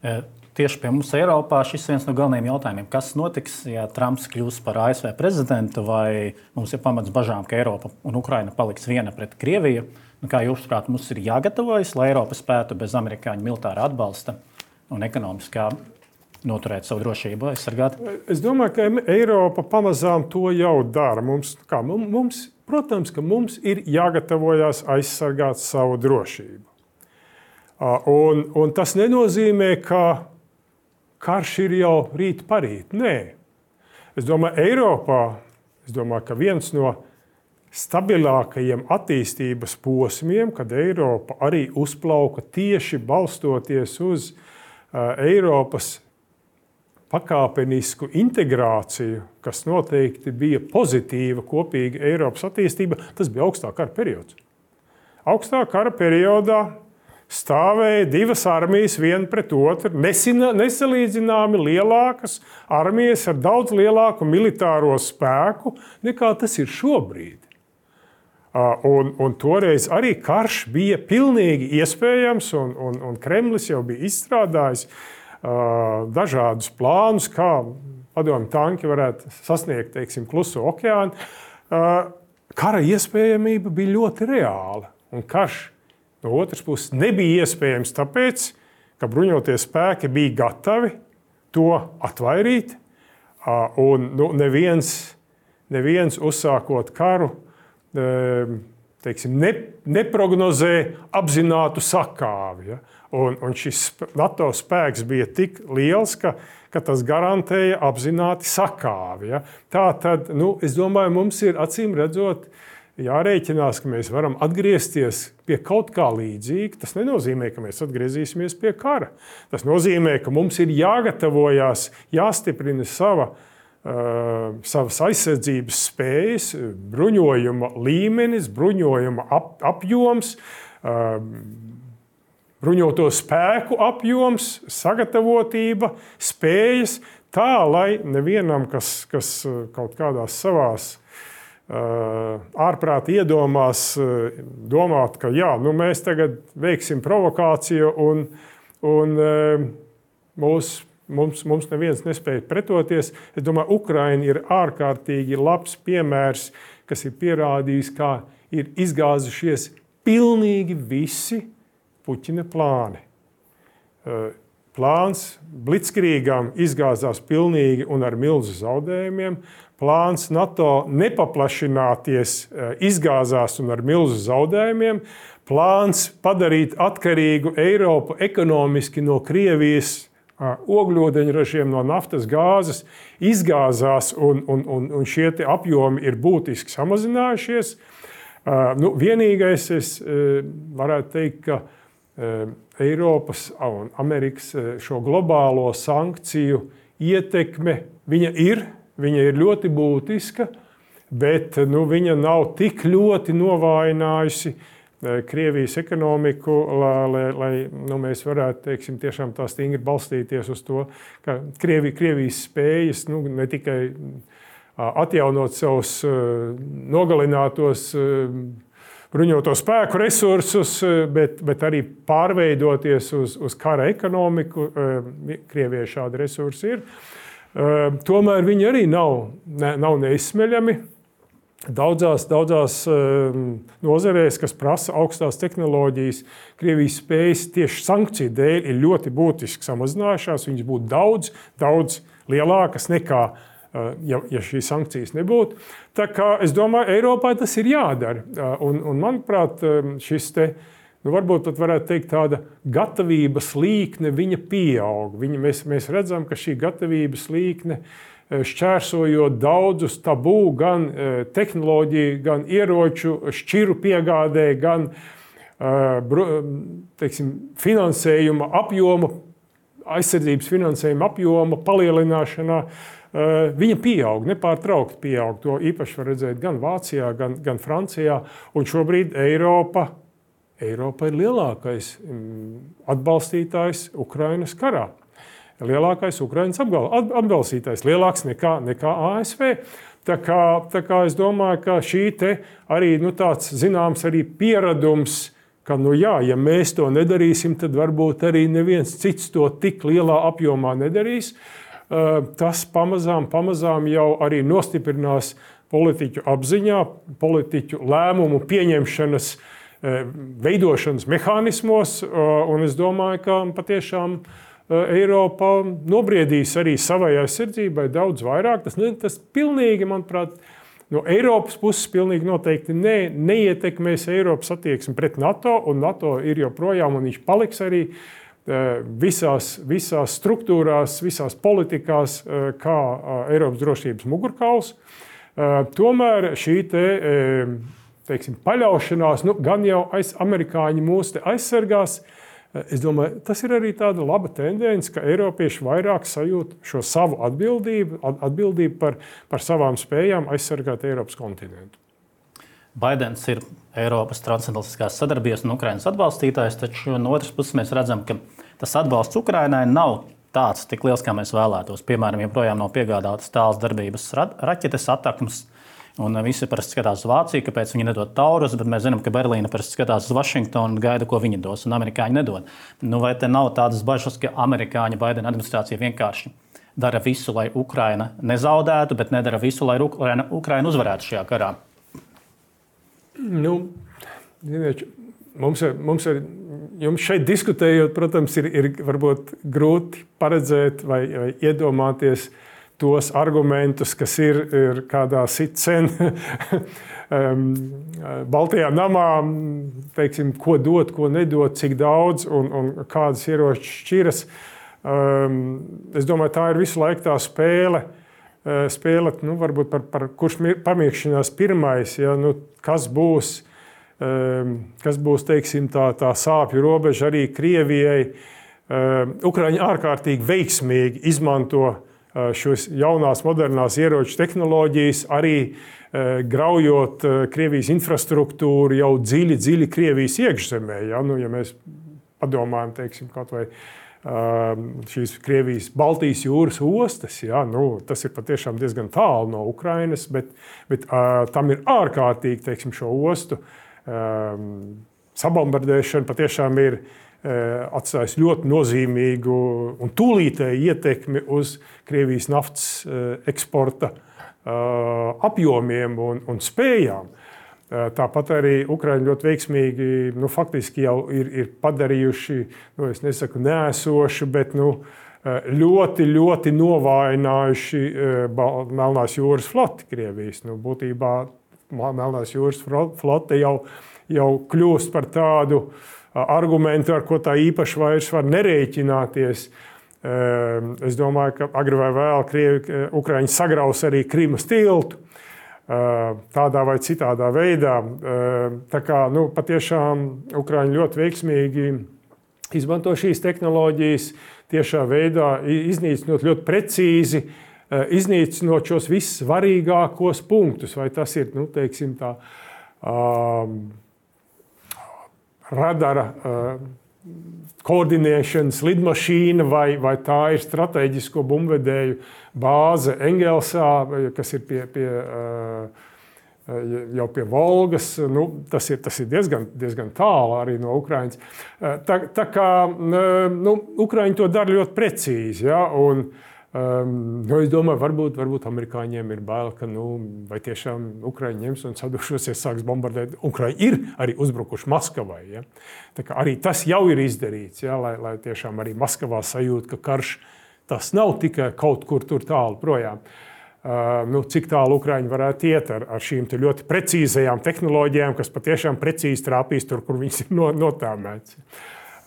E Tieši pie mums Eiropā šis ir viens no galvenajiem jautājumiem. Kas notiks, ja Trumps kļūs par A S V prezidentu, vai mums ir pamats bažām, ka Eiropa un Ukraina paliks viena pret Krieviju? Un kā jūs prāt, mums ir jāgatavojas, lai Eiropa spētu bez amerikāņu militāra atbalsta un ekonomiskā noturēt savu drošību, aizsargāt? Es domāju, ka Eiropa pamazām to jau dara. Mums, kā, mums, protams, ka mums ir jāgatavojas aizsargāt savu drošību. Un, un tas nenozīmē, ka karš ir jau rīt parīt. Nē. Es domāju, Eiropā, es domāju, ka viens no stabilākajiem attīstības posmiem, kad Eiropa arī uzplauka tieši balstoties uz uh, Eiropas pakāpenisku integrāciju, kas noteikti bija pozitīva kopīga Eiropas attīstība, tas bija augstā kara periods. Augstā kara periodā stāvēja divas armijas viena pret otru, nesalīdzināmi lielākas armijas ar daudz lielāku militāro spēku, nekā tas ir šobrīd. Un, un toreiz arī karš bija pilnīgi iespējams, un, un, un Kremlis jau bija izstrādājis uh, dažādus plānus, kā padomju tanki varētu sasniegt, teiksim, Kluso okeānu. Uh, kara iespējamība bija ļoti reāla, un karš no otras puses nebija iespējams tāpēc, ka bruņotie spēki bija gatavi to atvairīt, un nu, neviens, neviens uzsākot karu teiksim, ne, neprognozē apzinātu sakāvi. Ja? Un, un šis NATO spēks bija tik liels, ka, ka tas garantēja apzināti sakāvi. Ja? Tā tad, nu, es domāju, mums ir acīm redzot jārēķinās, ka mēs varam atgriezties pie kaut kā līdzīga. Tas nenozīmē, ka mēs atgriezīsimies pie kara. Tas nozīmē, ka mums ir jāgatavojās, jāstiprina sava, uh, savas aizsardzības spējas, bruņojuma līmenis, bruņojuma ap, apjoms, uh, bruņoto spēku apjoms, sagatavotība, spējas, tā, lai nevienam, kas, kas kaut kādās savās ārprāt iedomās, domāt, ka jā, nu mēs tagad veiksim provokāciju un, un mūs, mums, mums neviens nespēja pretoties. Es domāju, Ukraina ir ārkārtīgi labs piemērs, kas ir pierādījis, kā ir izgāzušies pilnīgi visi Puķina plāni. Plāns blitzkrīgam izgāzās pilnīgi un ar milzu zaudējumiem. Plāns NATO nepaplašināties izgāzās un ar milzu zaudējumiem. Plāns padarīt atkarīgu Eiropu ekonomiski no Krievijas ogļūdeņražiem, no naftas gāzes izgāzās un, un, un, un šie te apjomi ir būtiski samazinājušies. Nu, vienīgais es varētu teikt, ka Eiropas un Amerikas šo globālo sankciju ietekme, viņa ir, viņa ir ļoti būtiska, bet nu, viņa nav tik ļoti novājinājusi Krievijas ekonomiku, lai, lai nu, mēs varētu teiksim, tiešām tā stingri balstīties uz to, ka Krievi, Krievijas spējas nu, ne tikai atjaunot savus nogalinātos bruņoto spēku resursus, bet, bet arī pārveidoties uz, uz kara ekonomiku. Krievijai šādi resursi ir. Tomēr viņi arī nav, ne, nav neizsmeļami. Daudzās, daudzās nozarēs, kas prasa augstās tehnoloģijas, Krievijas spējas tieši sankciju dēļ ir ļoti būtiski samazinājušās. Viņas būtu daudz, daudz lielākas nekā, ja, ja šīs sankcijas nebūtu. Tā kā es domāju, Eiropai tas ir jādara. Un, un manuprāt, šis te, nu varbūt pat varētu teikt tāda gatavības līkne, viņa pieaug. Viņa, mēs, mēs redzam, ka šī gatavības līkne šķērsojot daudzus tabū, gan tehnoloģiju, gan ieroču, šķiru piegādē, gan teiksim, finansējuma apjoma, aizsardzības finansējuma apjoma palielināšanā, viņa pieaug, nepārtraukti pieaug. To īpaši var redzēt gan Vācijā, gan, gan Francijā. Un šobrīd Eiropa, Eiropa ir lielākais atbalstītājs Ukrainas karā. Lielākais Ukrainas atbalstītājs, lielāks nekā, nekā A S V. Tā kā, tā kā es domāju, ka šī te arī nu, tāds zināms arī pieradums, ka nu jā, ja mēs to nedarīsim, tad varbūt arī neviens cits to tik lielā apjomā nedarīs. Tas pamazām, pamazām jau arī nostiprinās politiķu apziņā, politiķu lēmumu pieņemšanas, veidošanas mehānismos, un es domāju, ka patiešām Eiropa nobriedīs arī savai aizsardzībai daudz vairāk. Tas, tas pilnīgi, manuprāt, no Eiropas puses pilnīgi noteikti ne, neietekmēs Eiropas attieksmi pret NATO, un NATO ir joprojām, un viņš paliks arī visās, visās struktūrās, visās politikās, kā Eiropas drošības mugurkauls. Tomēr šī te, teiksim, paļaušanās, nu, gan jau aiz, amerikāņi mūs te aizsargās. Es domāju, tas ir arī tāda laba tendence, ka Eiropieši vairāk sajūt šo savu atbildību, atbildību par, par savām spējām aizsargāt Eiropas kontinentu. Baidens ir Eiropas transatlantiskās sadarbības un Ukrainas atbalstītājs, taču no otras puses mēs redzam, ka tas atbalsts Ukrainai nav tāds tik liels, kā mēs vēlētos. Piemēram, joprojām nav piegādātas tāls darbības raķetes attakmes. Un visi parasti skatās uz Vāciju, kāpēc viņi nedod Taurus, bet mēs zinām, ka Berlīna parasti skatās uz Vašingtonu un gaida, ko viņi dos, un amerikāņi nedod. Nu, vai te nav tādas bažas, ka amerikāņu Baidena administrācija vienkārši dara visu, lai Ukraina nezaudētu, bet nedara visu, lai Ukraina, Ukraina uzvarētu šajā karā? Nu, ziniet, mums ir, mums ir, jums šeit diskutējot, protams, ir, ir varbūt grūti paredzēt vai, vai iedomāties tos argumentus, kas ir, ir kādā sitcen Baltijā namā, teiksim, ko dot, ko nedot, cik daudz un, un kādas ieroču šķiras. Es domāju, tā ir visu laiku tā spēle, spēle nu, varbūt par, par kurš pamiekšanās pirmais, ja, nu, kas būs, kas būs, teiksim, tā, tā sāpju robeža arī Krievijai. Ukraiņi ārkārtīgi veiksmīgi izmanto šos jaunās, modernās ieroču tehnoloģijas, arī graujot Krievijas infrastruktūru jau dziļi, dziļi Krievijas iekšzemē. Ja, nu, ja mēs padomājam, teiksim, kaut vai šīs Krievijas Baltijas jūras ostas, ja, nu, tas ir patiešām diezgan tālu no Ukrainas, bet, bet tam ir ārkārtīgi, teiksim, šo ostu sabombardēšana patiešām ir atstājis ļoti nozīmīgu un tūlītēju ietekmi uz Krievijas naftas eksporta apjomiem un, un spējām. Tāpat arī Ukraiņi ļoti veiksmīgi, nu, faktiski jau ir, ir padarījuši, nu, es nesaku nēsoši, bet nu, ļoti, ļoti novājinājuši Melnās jūras floti Krievijas. Nu, būtībā Melnās jūras flote jau, jau kļūst par tādu argumentu, ar ko tā īpaši vairs var nerēķināties. Es domāju, ka agri vai vēl Krievi, Ukraiņi sagraus arī Krimas tiltu tādā vai citādā veidā. Tā kā, nu, patiešām Ukraiņi ļoti veiksmīgi izmanto šīs tehnoloģijas tiešā veidā, iznīcinot ļoti precīzi, iznīcinot šos vissvarīgākos punktus. Vai tas ir, nu, teiksim, tā um, radara uh, koordinēšanas lidmašīna, vai, vai tā ir strateģisko bumbvedēju bāze Engelsā, kas ir pie, pie, jau pie Volgas. Nu, tas ir, tas ir diezgan, diezgan tālu arī no Ukrainas. Tā, tā kā nu, Ukraiņi to dara ļoti precīzi. Ja, un, um, nu, es domāju, varbūt, varbūt amerikāņiem ir bail, ka nu, vai tiešām Ukraiņi ņems un sadušosies, sāks bombardēt. Ukraiņi ir arī uzbrukuši Maskavai. Ja. Tā kā arī tas jau ir izdarīts, ja, lai, lai tiešām arī Maskavā sajūt, ka karš tas nav tikai kaut kur tur tālu projām. Uh, nu, cik tālu Ukraiņi varētu iet ar, ar šīm ļoti precīzajām tehnoloģijām, kas patiešām precīzi trāpīs tur, kur viņas ir no, notāmēts.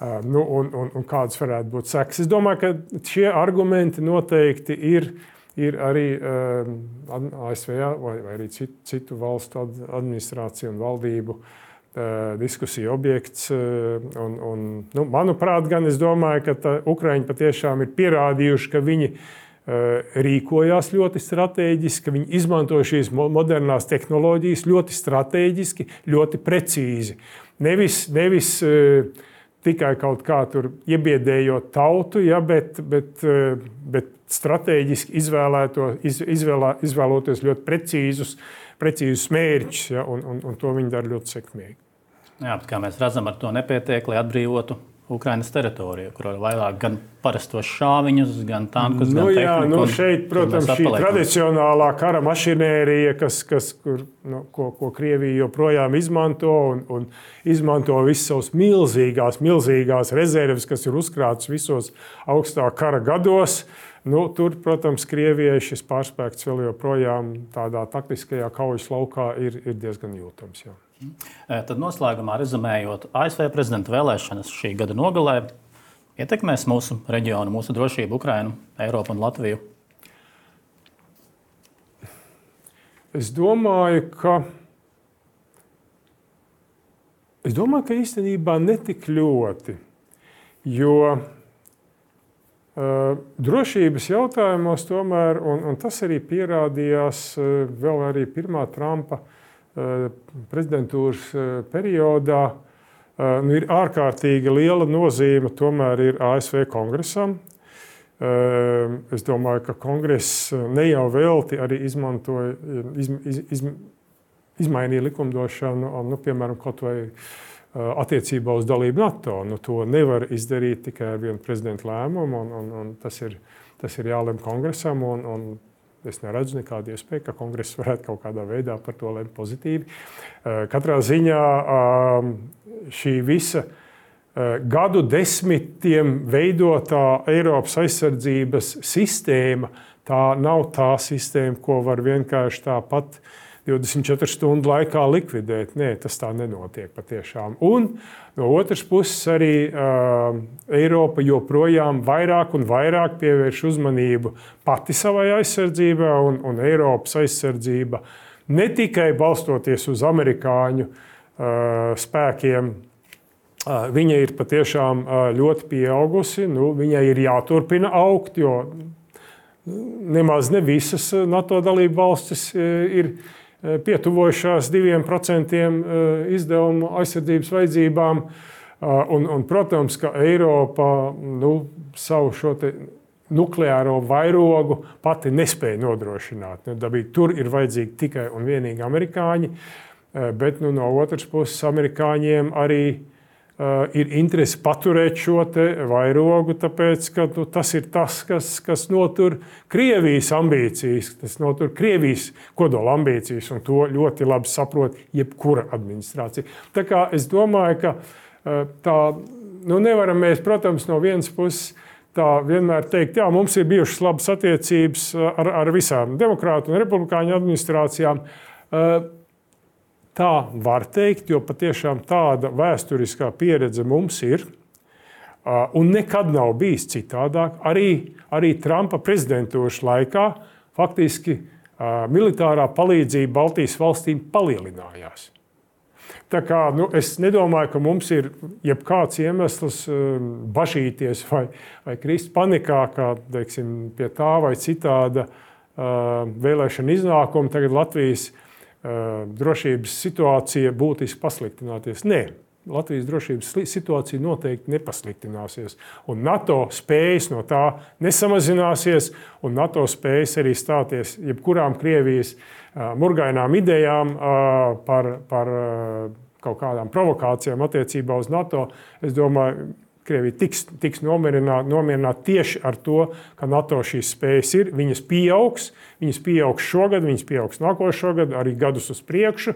Uh, nu, un, un, un kādas varētu būt sekas. Es domāju, ka šie argumenti noteikti ir, ir arī uh, A S V vai, vai arī citu, citu valstu administrāciju un valdību uh, diskusiju objekts. Uh, un, un, nu, manuprāt, gan es domāju, ka tā, Ukraiņi patiešām ir pierādījuši, ka viņi rīkojās ļoti strateģiski, ka viņi izmanto šīs modernās tehnoloģijas ļoti strateģiski, ļoti precīzi. Nevis, nevis uh, tikai kaut kā tur iebiedējot tautu, ja, bet, bet, uh, bet strateģiski izvēlēto, iz, izvēlā, izvēloties ļoti precīzus, precīzus mērķus, ja, un, un, un to viņi dara ļoti sekmīgi. Jā, bet kā mēs redzam, ar to nepietiek, lai atbrīvotu Ukrainas teritoriju, kur ir vairāk gan parastos šāviņus, gan tankus, nu, gan jā, tehniku. Nu, šeit, protams, šī tradicionālā kara mašinērija, kas, kas, kur, nu, ko, ko Krievija joprojām izmanto un, un izmanto visas savas milzīgās, milzīgās rezerves, kas ir uzkrātas visos augstā kara gados. Nu, tur, protams, Krievijai šis pārspēks vēl joprojām tādā taktiskajā kaujas laukā ir, ir diezgan jūtams. Jā. Tad noslēgumā rezumējot, A S V prezidenta vēlēšanas šī gada nogalē ietekmēs mūsu reģionu, mūsu drošību, Ukrainu, Eiropu un Latviju? Es domāju, ka, es domāju, ka īstenībā netik ļoti, jo uh, drošības jautājumos tomēr, un, un tas arī pierādījās uh, vēl arī pirmā Trumpa prezidentūras periodā, nu, ir ārkārtīgi liela nozīme tomēr ir A S V kongresam. Es domāju, ka kongress ne jau velti arī izmantoja, iz, iz, iz, izmainīja likumdošanu, nu, piemēram, kaut vai attiecībā uz dalību NATO. Nu, to nevar izdarīt tikai ar vienu prezidenta lēmumu, un, un, un tas ir, tas ir jālem kongresam, un, un es neredzu nekādu iespēju, ka kongress varētu kaut kādā veidā par to lemt pozitīvi. Katrā ziņā šī visa gadu desmitiem veidotā Eiropas aizsardzības sistēma, tā nav tā sistēma, ko var vienkārši tāpat divdesmit četru stundu laikā likvidēt. Nē, tas tā nenotiek patiešām. Un no otras puses arī uh, Eiropa joprojām vairāk un vairāk pievērš uzmanību pati savai aizsardzībai, un, un Eiropas aizsardzība ne tikai balstoties uz amerikāņu uh, spēkiem, uh, viņa ir patiešām uh, ļoti pieaugusi, nu, viņai ir jāturpina augt, jo nemaz ne visas NATO dalību valstis ir pietuvojušās diviem procentiem izdevumu aizsardzības vajadzībām. Un, un, protams, ka Eiropa nu, savu šo te nukleāro vairogu pati nespēja nodrošināt. Nu, dabīgi, tur ir vajadzīgi tikai un vienīgi amerikāņi, bet nu, no otras puses amerikāņiem arī uh, ir interese paturēt šo te vairogu, tāpēc, ka nu, tas ir tas, kas, kas notur Krievijas ambīcijas, tas notur Krievijas kodola ambīcijas, un to ļoti labi saprot jebkura administrācija. Tā kā es domāju, ka uh, tā, nu nevaram mēs, protams, no vienas puses tā vienmēr teikt, jā, mums ir bijušas labas attiecības ar, ar visām demokrātu un republikāņu administrācijām. Tā var teikt, jo patiešām tāda vēsturiskā pieredze mums ir. Un nekad nav bijis citādāk. Arī, arī Trumpa prezidentūras laikā faktiski militārā palīdzība Baltijas valstīm palielinājās. Tā kā, nu, es nedomāju, ka mums ir jebkāds iemesls bažīties vai, vai krist panikā, kā teiksim, pie tā vai citāda uh, vēlēšana iznākuma. Tagad Latvijas uh, drošības situācija būtiski pasliktināties. Nē. Latvijas drošības situācija noteikti nepasliktināsies. Un NATO spējas no tā nesamazināsies, un NATO spējas arī stāties jebkurām Krievijas uh, murgainām idejām uh, par, par uh, kaut kādām provokācijām attiecībā uz NATO. Es domāju, Krievija tiks, tiks nomierināta nomierināt tieši ar to, ka NATO šīs spējas ir. Viņas pieaugs, viņas pieaugs šogad, viņas pieaugs nākošo gadu, arī gadus uz priekšu.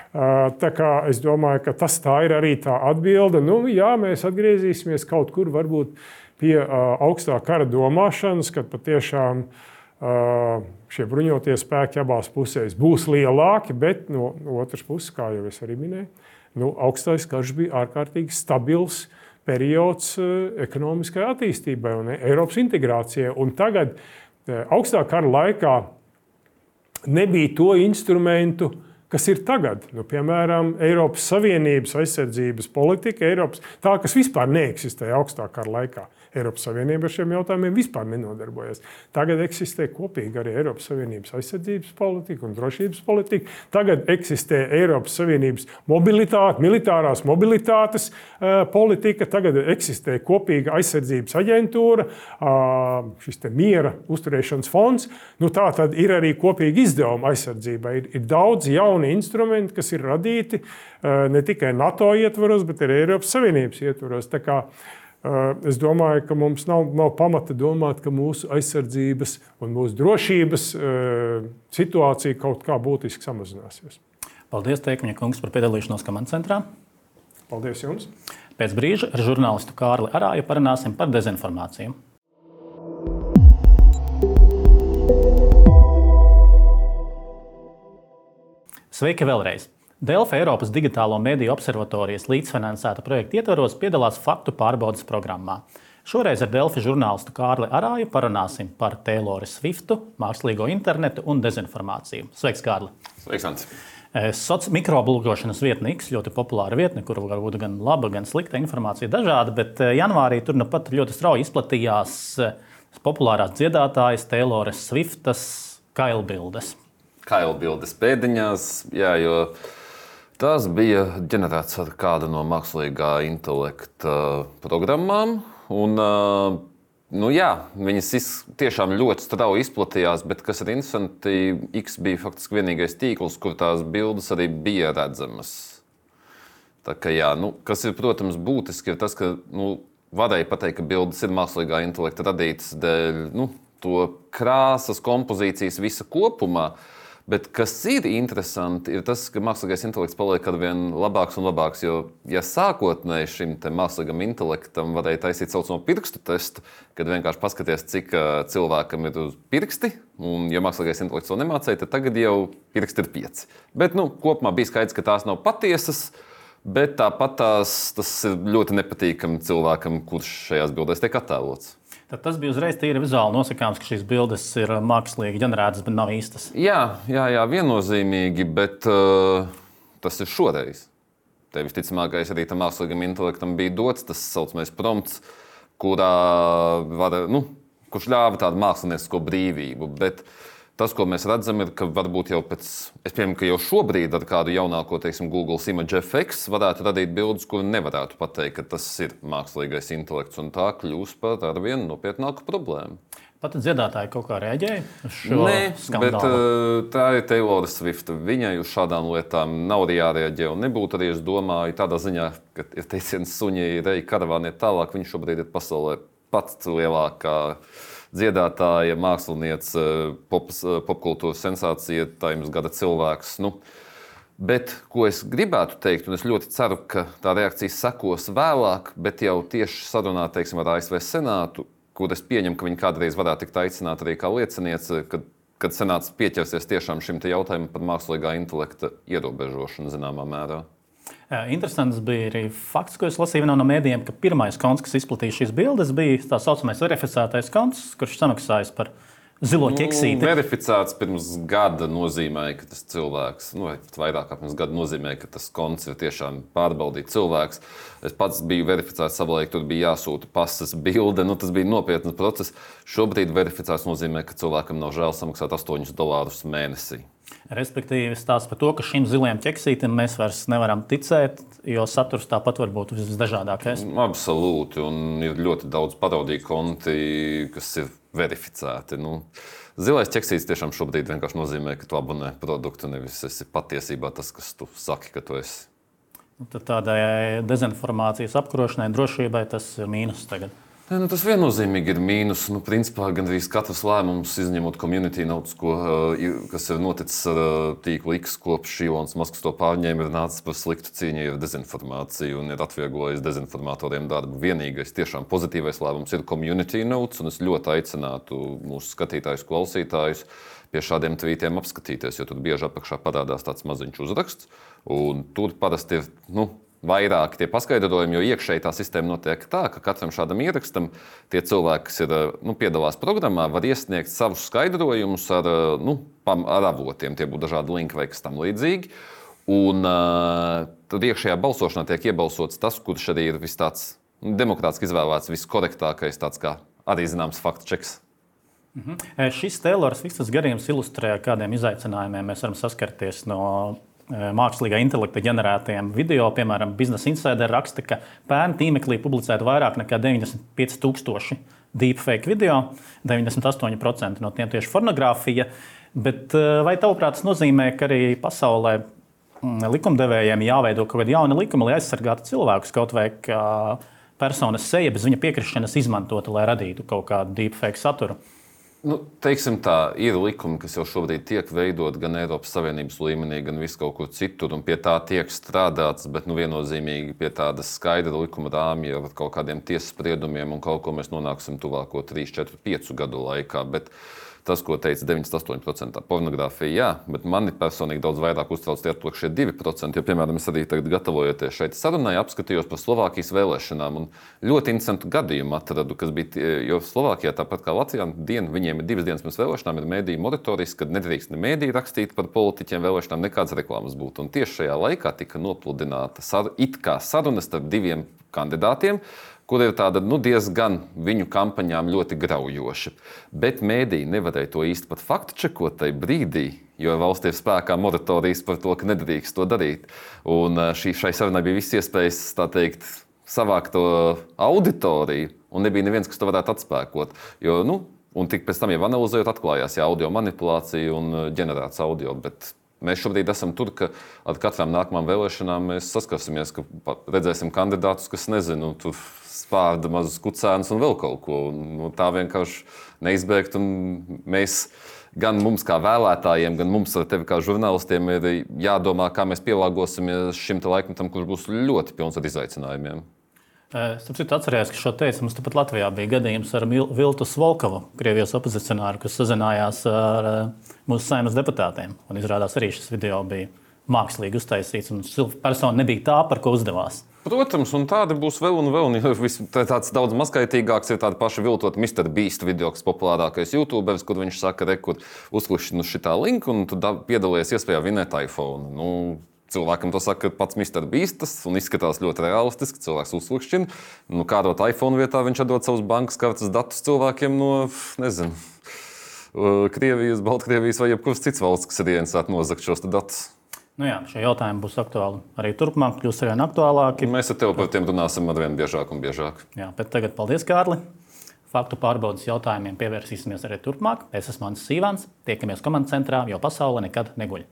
Tā kā es domāju, ka tas tā ir arī tā atbilde. Nu, jā, mēs atgriezīsimies kaut kur varbūt pie uh, augstā kara domāšanas, kad patiešām uh, šie bruņotie spēki abās pusēs būs lielāki, bet no, no otras puses, kā jau es arī minēju, nu, augstais karš bija ārkārtīgi stabils periods uh, ekonomiskai attīstībai un Eiropas integrācijai. Un tagad uh, augstā kara laikā nebija to instrumentu, kas ir tagad. Nu, piemēram, Eiropas Savienības aizsardzības politika, Eiropas, tā, kas vispār neeksistēja augstā kara laikā. Eiropas Savienība ar šiem jautājumiem vispār nenodarbojas. Tagad eksistē kopīgi arī Eiropas Savienības aizsardzības politika un drošības politika. Tagad eksistē Eiropas Savienības mobilitāte, militārās mobilitātes uh, politika. Tagad eksistē kopīga aizsardzības aģentūra, uh, šis te miera uzturēšanas fonds. Nu, tā tad ir arī kopīgi izdevuma aizsardzībai. Ir, ir daudz jauni instrumenti, kas ir radīti uh, ne tikai NATO ietvaros, bet arī Eiropas Savienības ietvaros. Tā kā es domāju, ka mums nav, nav pamata domāt, ka mūsu aizsardzības un mūsu drošības situācija kaut kā būtiski samazināsies. Paldies, Teikuņa kungs, par piedalīšanos Komandas centrā. Paldies jums. Pēc brīža ar žurnālistu Kārli Arāju parunāsim par dezinformāciju. Sveiki vēlreiz! Delfi Eiropas Digitālo mediju observatorijas līdzfinansēta projekta ietvaros piedalās faktu pārbaudes programmā. Šoreiz ar Delfi žurnālistu Kārli Arāju parunāsim par Taylori Swiftu, mākslīgo internetu un dezinformāciju. Sveiks, Kārli! Sveiks, Ants! Soc mikroblogošanas vietne X, ļoti populāra vietne, kur var būt gan laba, gan slikta informācija dažāda, bet janvārī tur nu pat ļoti strauji izplatījās populārās dziedātājas Taylori Swiftas kailbildes. Kailbildes pēdiņās, jā, jo tās bija ģenerētas ar kādu no mākslīgā intelekta programmām. Un, nu jā, viņas tiešām ļoti strauji izplatījās, bet, kas ir interesanti, X bija faktiski vienīgais tīkls, kur tās bildes arī bija redzamas. Tā kā jā, nu, kas ir, protams, būtiski, ir tas, ka nu, varēja pateikt, ka bildes ir mākslīgā intelekta radītas dēļ nu, to krāsas, kompozīcijas visa kopumā. Bet kas ir interesanti, ir tas, ka mākslīgais intelekts paliek ar vien labāks un labāks. Jo, ja sākotnēji šim mākslīgam intelektam varēja taisīt saucamo pirkstu testu, kad vienkārši paskaties, cik cilvēkam ir uz pirksti, un ja mākslīgais intelekts to nemācēja, tad tagad jau pirksti ir pieci. Bet nu, kopumā bija skaidrs, ka tās nav patiesas, bet tāpat tās, tas ir ļoti nepatīkami cilvēkam, kurš šajās bildēs tiek attēlots. Tad tas bija uzreiz tīri vizuāli nosakāms, ka šīs bildes ir mākslīgi ģenerētas, bet nav īstas. Jā, jā, jā viennozīmīgi, bet uh, tas ir šoreiz. Te visticamākais arī tam mākslīgam intelektam bija dots tas saucamais prompts, kurā var, nu, kurš ļāva tādu māksliniecisko brīvību. Bet tas, ko mēs redzam, ir, ka varbūt jau pēc, es pieņemu, ka jau šobrīd ar kādu jaunāko, teiksim, Google Image F X varētu radīt bildes, kur nevarētu pateikt, ka tas ir mākslīgais intelekts, un tā kļūst par ar vienu nopietnāku problēmu. Pat dziedātāji kaut kā reaģēja uz šo Nē, skandālu? bet uh, tā ir Taylori Swift. Viņai uz šādām lietām nav arī jārēģē, un nebūtu arī, es domāju, tādā ziņā, ka ir teiciens suņi, reji karavāni iet tālāk, viņš šobrīd ir pasaulē pats lielākā dziedātāja, māksliniece, pop, popkultūras sensācija, tā jums gada cilvēks. Nu, bet, ko es gribētu teikt, un es ļoti ceru, ka tā reakcija sekos vēlāk, bet jau tieši sarunā, teiksim, ar A S V Senātu, kur es pieņemu, ka viņi kādreiz varētu tikt aicināt arī kā lieciniece, kad, kad Senāts pieķersies tiešām šim te jautājumam par mākslīgā intelekta ierobežošanu zināmā mērā. Interesants bija arī fakts, ko es lasīju vienā no mēdījiem, ka pirmais konts, kas izplatīja šīs bildes, bija tā saucamais verificētais konts, kurš samaksājis par zilo ķeksīti. Nu, verificēts pirms gada nozīmē, ka tas cilvēks, nu, vai pat vairāk kā pirms gada nozīmē, ka tas konts ir tiešām pārbaudīts cilvēks. Es pats biju verificēts savulaik, tur bija jāsūta pasas bilde, nu, tas bija nopietns process. Šobrīd verificēts nozīmē, ka cilvēkam nav žēl samaksāt astoņus dolārus mēnesī. Respektīvi, stāsts par to, ka šim zilajam ķeksītim mēs vairs nevaram ticēt, jo saturs tāpat var būt visdažādākais. Absolūti, un ir ļoti daudz parodiju konti, kas ir verificēti. Nu, zilais ķeksītis tiešām šobrīd vienkārši nozīmē, ka tu abonē produktu, nevis esi patiesībā tas, kas tu saki, ka tu esi. Tad tādai dezinformācijas apkarošanai, drošībai tas ir mīnus tagad. Ne, nu, tas viennozīmīgi ir mīnus. Nu, principā gandrīz katrs lēmums, izņemot community notes, ko, kas ir noticis ar tīklu X kopš Ilons Masks to pārņēma, ir nācis par sliktu cīņai ar dezinformāciju un ir atvieglojis dezinformatoriem darbu. Vienīgais tiešām pozitīvais lēmums ir community notes, un es ļoti aicinātu mūsu skatītājus, klausītājus pie šādiem tvītiem apskatīties, jo tur bieži apakšā parādās tāds maziņš uzraksts, un tur parasti ir, nu, vairāk tie paskaidrojumi, jo iekšēji tā sistēma notiek tā, ka katram šādam ierakstam tie cilvēki, kas ir, nu, piedalās programmā, var iesniegt savus skaidrojumus ar, nu, ar avotiem. Tie būtu dažādi linki vai kas tam līdzīgi. Un uh, tad iekšējā balsošanā tiek iebalsots tas, kurš arī ir vis tāds demokrātiski izvēlēts, viskorektākais, tāds kā arī zināms faktu čeks. Mhm. Šis Taylors Swift's gadījums ilustrē, kādiem izaicinājumiem mēs varam saskarties no mākslīgā intelekta ģenerētajiem video. Piemēram, Business Insider raksta, ka pērn tīmeklī publicēta vairāk nekā deviņdesmit pieci tūkstoši deepfake video, deviņdesmit astoņi procenti no tiem tieši pornogrāfija. Bet vai tavuprāt tas nozīmē, ka arī pasaulē likumdevējiem jāveido kaut kādi jauni likumi, lai aizsargātu cilvēkus, kaut vai kā personas seja bez viņa piekrišanas izmantota, lai radītu kaut kādu deepfake saturu? Nu, teiksim tā, ir likumi, kas jau šobrīd tiek veidot gan Eiropas Savienības līmenī, gan vis kaut kur citur, un pie tā tiek strādāts, bet nu, viennozīmīgi pie tādas skaidra likuma rāmja ar kaut kādiem tiesas spriedumiem, un kaut ko mēs nonāksim tuvāko trīs, četri, piecu gadu laikā. Bet tas, ko teica deviņdesmit astoņi procenti pornogrāfija, jā, bet mani personīgi daudz vairāk uztrauc tie atpakaļšie divi procenti, jo, piemēram, es arī tagad gatavojoties šeit sarunai, apskatījos par Slovākijas vēlēšanām un ļoti interesantu gadījumu atradu, kas bija, jo Slovākijā, tāpat kā Latvijā, diena, viņiem ir divas dienas pirms vēlēšanām, ir mēdīju moratorijas, kad nedrīkst ne mēdīji rakstīt par politiķiem vēlēšanām, nekādas reklāmas būtu. Un tieši šajā laikā tika nopludināta sar, it kā saruna starp diviem kandidātiem, kur ir tāda nu, diezgan viņu kampaņām ļoti graujoša. Bet mēdī nevarēja to īsti pat faktu čekot tajā brīdī, jo valstī ir spēkā moratorijas par to, ka nedrīkst to darīt. Un šī, šai sarunai bija viss iespējas, tā teikt, savākt to auditoriju, un nebija neviens, kas to varētu atspēkot. Jo, nu, un tik pēc tam jau analizējot, atklājās jā, audio manipulācija un ģenerēts audio, bet mēs šobrīd esam tur, ka ar katrām nākamām vēlēšanām mēs saskarsimies, ka redzēsim kandidātus, kas nezinu, tur spārda mazus kucēnus un vēl kaut ko. Nu, tā vienkārši neizbēgt. Un mēs, gan mums kā vēlētājiem, gan mums ar tevi kā žurnālistiem ir jādomā, kā mēs pielāgosimies šim te laikmetam, kurš būs ļoti pilns ar izaicinājumiem. Es atceros, ka šo teicu, mums tepat Latvijā bija gadījums ar Viltu Svolkovu, Krievijas opozicionāru, kas sazinājās ar mūsu Saeimas deputātiem. Un izrādās arī šis video bija mākslīgi uztaisīts, un persona nebija tā, par ko uzdevās. Protams, un tādi būs vēl un vēl. Tāds daudz mazskaitīgāks ir tāda paša viltot mister Beast video, kas populārākais YouTuberis, kur viņš saka, re, kur uzklikšķi nu šitā linku, un tu piedalies iespējā vinēt iPhone. Nu, cilvēkam to saka pats mister Beastas, un izskatās ļoti realistiski, cilvēks uzklikšķina. Nu, kādot iPhone vietā, viņš atdod savus bankas kartes datus cilvēkiem no, nezinu, Krievijas, Baltkrievijas vai jebkuras cits valsts, kas ir ieinteresēti nozagt šos datus. Nu jā, šie jautājumi būs aktuāli arī turpmāk, kļūs arvien aktuālāki. Mēs ar tevi par tiem runāsim arvien biežāk un biežāk. Jā, bet tagad paldies, Kārli. Faktu pārbaudas jautājumiem pievērsīsimies arī turpmāk. Es esmu Mans Sīvans. Tiekamies komandas centrā, jo pasaule nekad neguļ.